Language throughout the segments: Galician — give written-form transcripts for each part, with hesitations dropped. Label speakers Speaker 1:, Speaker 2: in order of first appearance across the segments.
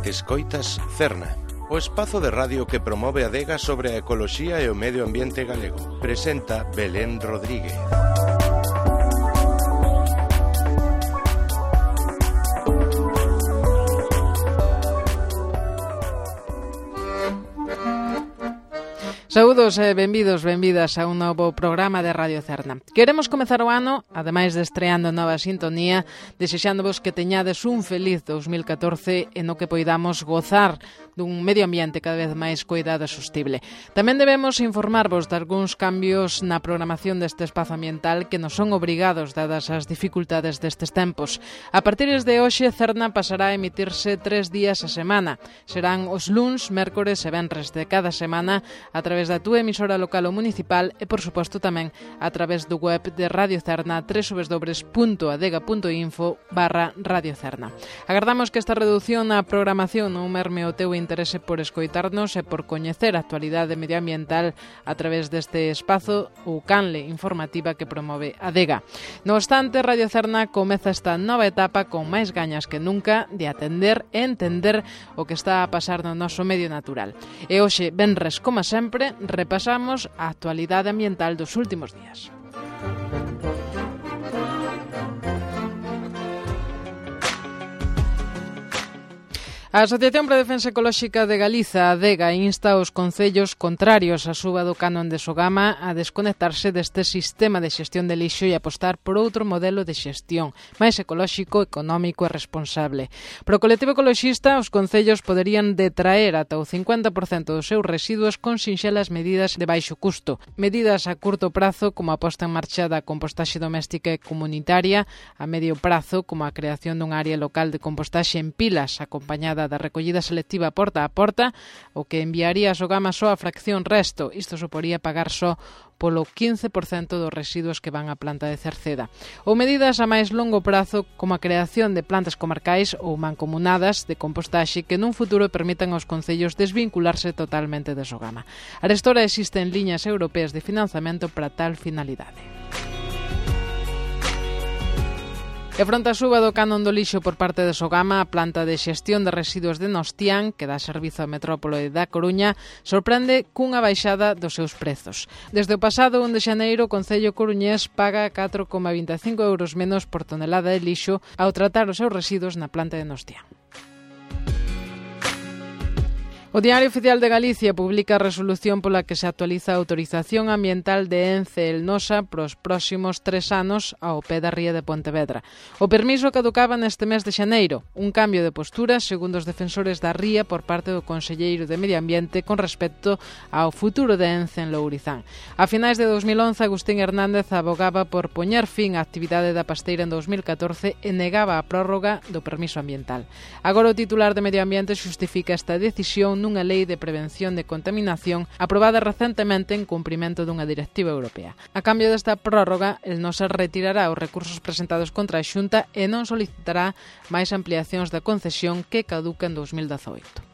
Speaker 1: Escoitas Cerna, o espazo de radio que promove a adega sobre a ecoloxía e o medio ambiente galego. Presenta Belén Rodríguez.
Speaker 2: Saúdos e benvidas a un novo programa de Radio Cerna. Queremos comezar o ano, ademais de estreando nova sintonía, desexándovos que teñades un feliz 2014 e no que poidamos gozar dun medio ambiente cada vez máis cuidado e sostible. Tamén debemos informarvos de algúns cambios na programación deste espazo ambiental que nos son obrigados dadas as dificultades destes tempos. A partir de hoxe, Cerna pasará a emitirse 3 días a semana. Serán os luns, mércores e venres de cada semana a través da túa emisora local ou municipal e, por suposto, tamén a través do web de Radio Cerna, www.adega.info/Radio Cerna. Agardamos que esta reducción na programación non merme o teu interese por escoitarnos e por coñecer a actualidade medioambiental a través deste espazo ou canle informativa que promove Adega. No obstante, Radio Cerna comeza esta nova etapa con máis gañas que nunca de atender e entender o que está a pasar no noso medio natural. E hoxe, venres, como sempre, repasamos a actualidade ambiental dos últimos días. A Asociación para a Defensa Ecolóxica de Galiza, ADEGA, insta aos concellos contrarios á suba do canon de Sogama a desconectarse deste sistema de xestión de lixo e apostar por outro modelo de xestión, máis ecolóxico, económico e responsable. Para o colectivo ecoloxista, os concellos poderían detraer ata o 50% dos seus residuos con sinxelas medidas de baixo custo. Medidas a curto prazo, como a posta en marcha da compostaxe doméstica e comunitaria, a medio prazo, como a creación dunha área local de compostaxe en pilas, acompañada da recollida selectiva porta a porta, o que enviaría a Sogama só a fracción resto. Isto suporía pagar só polo 15% dos residuos que van á planta de Cerceda. Ou medidas a máis longo prazo, como a creación de plantas comarcais ou mancomunadas de compostaxe que nun futuro permitan aos concellos desvincularse totalmente de Sogama. Arestora existen liñas europeas de financiamento para tal finalidade. E fronte a suba do canon do lixo por parte de Sogama, a planta de xestión de residuos de Nostián, que dá servizo á metrópole da Coruña, sorprende cunha baixada dos seus prezos. Desde o pasado 1 de xaneiro, o Concello coruñés paga 4,25 euros menos por tonelada de lixo ao tratar os seus residuos na planta de Nostián. O Diario Oficial de Galicia publica a resolución pola que se actualiza a autorización ambiental de Ence Elnosa pros próximos 3 anos ao pé da ría de Pontevedra. O permiso caducaba neste mes de xaneiro, un cambio de postura, segundo os defensores da ría, por parte do Conselleiro de Medio Ambiente con respecto ao futuro de Ence en Lourizán. A finais de 2011, Agustín Hernández abogaba por poñer fin á actividade da pasteira en 2014 e negaba a prórroga do permiso ambiental. Agora o titular de Medio Ambiente xustifica esta decisión nunha lei de prevención de contaminación aprobada recentemente en cumprimento dunha directiva europea. A cambio desta prórroga, el non se retirará os recursos presentados contra a Xunta e non solicitará máis ampliacións da concesión que caduca en 2018.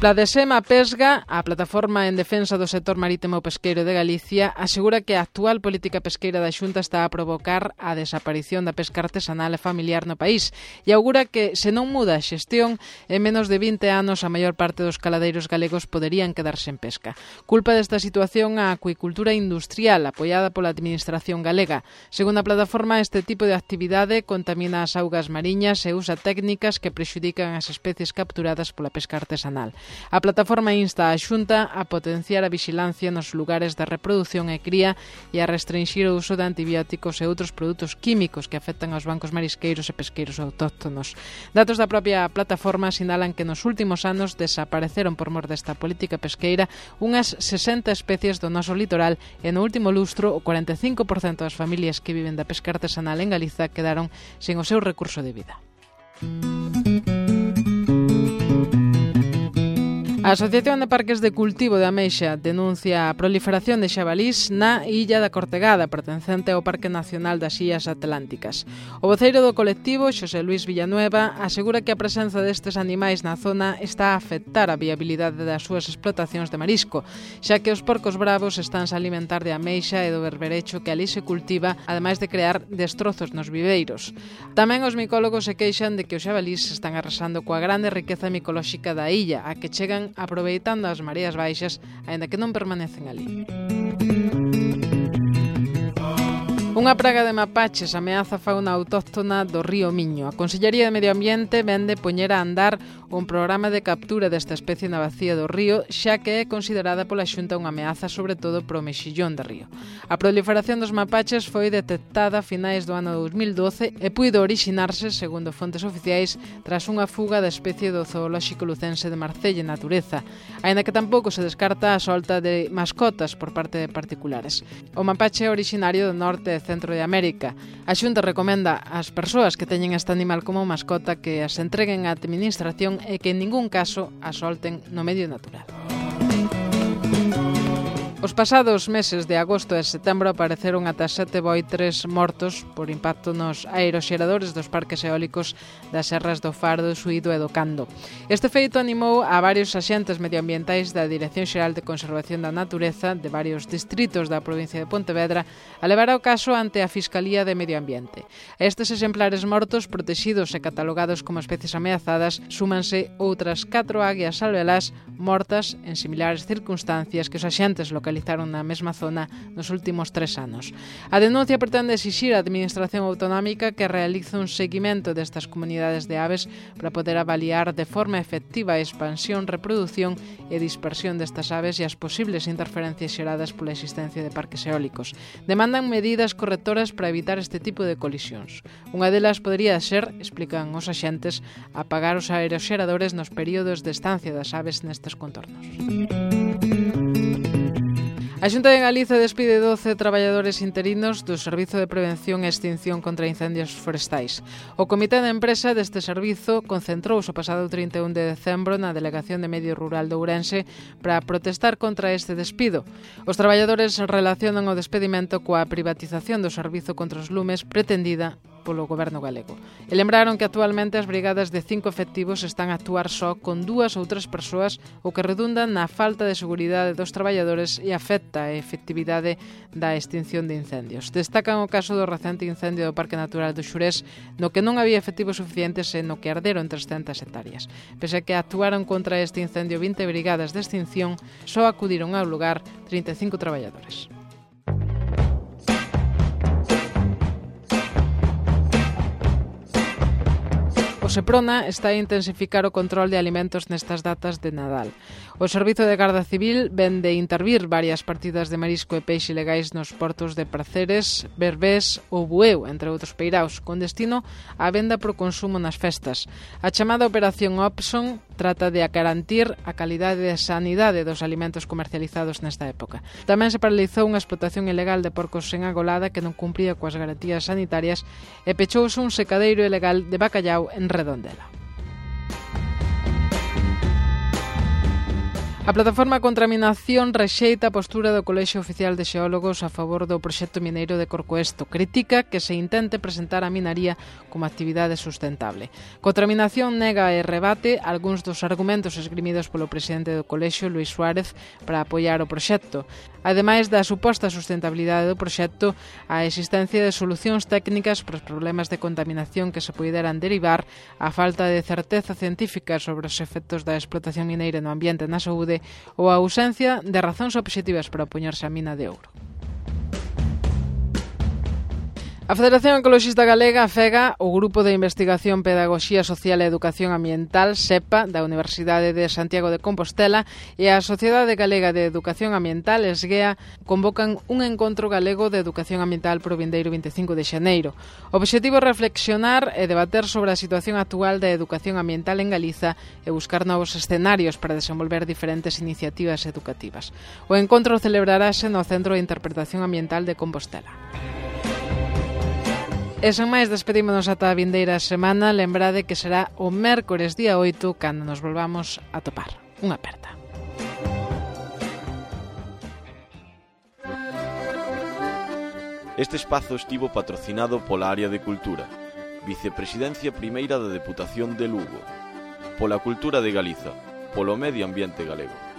Speaker 2: Pladesema Pesga, a plataforma en defensa do sector marítimo pesqueiro de Galicia, asegura que a actual política pesqueira da Xunta está a provocar a desaparición da pesca artesanal e familiar no país e augura que, se non muda a xestión, en menos de 20 anos a maior parte dos caladeiros galegos poderían quedarse en pesca. Culpa desta situación a acuicultura industrial apoiada pola administración galega. Segundo a plataforma, este tipo de actividade contamina as augas mariñas e usa técnicas que prexudican as especies capturadas pola pesca artesanal. A plataforma insta a Xunta a potenciar a vixilancia nos lugares de reproducción e cría e a restringir o uso de antibióticos e outros produtos químicos que afectan aos bancos marisqueiros e pesqueiros autóctonos. Datos da propia plataforma sinalan que nos últimos anos desapareceron por mor desta política pesqueira unhas 60 especies do noso litoral e no último lustro o 45% das familias que viven da pesca artesanal en Galiza quedaron sen o seu recurso de vida. A Asociación de Parques de Cultivo de Ameixa denuncia a proliferación de xabalís na Illa da Cortegada, pertencente ao Parque Nacional das Illas Atlánticas. O voceiro do colectivo, Xosé Luis Villanueva, asegura que a presenza destes animais na zona está a afectar a viabilidade das súas explotacións de marisco, xa que os porcos bravos estánse a alimentar de ameixa e do berberecho que ali se cultiva, ademais de crear destrozos nos viveiros. Tamén os micólogos se queixan de que os xabalís están arrasando coa grande riqueza micolóxica da illa, a que chegan aproveitando as mareas baixas, aínda que non permanecen ali. Unha praga de mapaches ameaza a fauna autóctona do río Miño. A Consellería de Medio Ambiente vende poñer a andar un programa de captura desta especie na bacía do río, xa que é considerada pola Xunta unha ameaza sobre todo pro mexillón de río. A proliferación dos mapaches foi detectada a finais do ano 2012 e puido orixinarse, segundo fontes oficiais, tras unha fuga da especie do zoolóxico lucense de Marcelle Natureza, aínda que tampouco se descarta a solta de mascotas por parte de particulares. O mapache é originario do norte e centro de América. A Xunta recomenda ás persoas que teñen este animal como mascota que as entreguen á administración e que en ningún caso a solten no medio natural. Os pasados meses de agosto e setembro apareceron ata 7 boitres mortos por impacto nos aeroxeradores dos parques eólicos das serras do Faro, do Suído e do Cando. Este feito animou a varios axentes medioambientais da Dirección Xeral de Conservación da Natureza de varios distritos da provincia de Pontevedra a levar o caso ante a Fiscalía de Medio Ambiente. A estes exemplares mortos, protexidos e catalogados como especies ameazadas, súmanse outras 4 águias albelás mortas en similares circunstancias que os axentes localizaron na mesma zona nos últimos 3 anos. A denuncia pretende exixir á Administración Autonómica que realice un seguimento destas comunidades de aves para poder avaliar de forma efectiva a expansión, reproducción e dispersión destas aves e as posibles interferencias xeradas pola existencia de parques eólicos. Demandan medidas correctoras para evitar este tipo de colisións. Unha delas podría ser, explican os axentes, apagar os aeroxeradores nos períodos de estancia das aves nestes contornos. A Xunta de Galicia despide 12 traballadores interinos do Servizo de Prevención e Extinción contra Incendios Forestais. O Comité de Empresa deste servizo concentrouse o pasado 31 de decembro na Delegación de Medio Rural de Ourense para protestar contra este despido. Os traballadores relacionan o despedimento coa privatización do servizo contra os lumes pretendida polo goberno galego. E lembraron que actualmente as brigadas de 5 efectivos están a actuar só con 2 ou 3 persoas, o que redunda na falta de seguridade dos traballadores e afecta a efectividade da extinción de incendios. Destacan o caso do recente incendio do Parque Natural do Xurés, no que non había efectivos suficientes e no que arderon 300 hectáreas. Pese a que actuaron contra este incendio 20 brigadas de extinción, só acudiron ao lugar 35 traballadores. O Seprona está a intensificar o control de alimentos nestas datas de Nadal. O Servizo de Garda Civil ven de intervir varias partidas de marisco e peixe ilegais nos portos de Praceres, Berbés ou Bueu, entre outros peiraos, con destino á venda pro consumo nas festas. A chamada Operación Opson trata de garantir a calidade e sanidade dos alimentos comercializados nesta época. Tamén se paralizou unha explotación ilegal de porcos en Agolada que non cumpría coas garantías sanitarias e pechouse un secadeiro ilegal de bacallau en Redondela. A plataforma Contaminación rexeita a postura do Colexio Oficial de Xeólogos a favor do proxecto mineiro de Corcoesto. Critica que se intente presentar a minaría como actividade sustentable. Contaminación nega e rebate algúns dos argumentos esgrimidos polo presidente do Colexio, Luís Suárez, para apoiar o proxecto. Ademais da suposta sustentabilidade do proxecto, a existencia de solucións técnicas para os problemas de contaminación que se poideran derivar, a falta de certeza científica sobre os efectos da explotación mineira no ambiente e na saúde, ou a ausencia de razóns obxectivas para opoñerse á mina de ouro. A Federación Ecologista Galega afega o Grupo de Investigación Pedagogía Social e Educación Ambiental, SEPA, da Universidade de Santiago de Compostela e a Sociedade Galega de Educación Ambiental, SGEA, convocan un encontro galego de educación ambiental pro vindeiro 25 de xaneiro. O obxectivo é reflexionar e debater sobre a situación actual da educación ambiental en Galiza e buscar novos escenarios para desenvolver diferentes iniciativas educativas. O encontro celebrarase no Centro de Interpretación Ambiental de Compostela. E sen máis, despedímonos ata a vindeira semana. Lembrade que será o mércores día 8 cando nos volvamos a topar. unha aperta.
Speaker 3: Este espazo estivo patrocinado pola Área de Cultura, Vicepresidencia Primeira da Deputación de Lugo, pola Cultura de Galiza, polo Medio Ambiente Galego.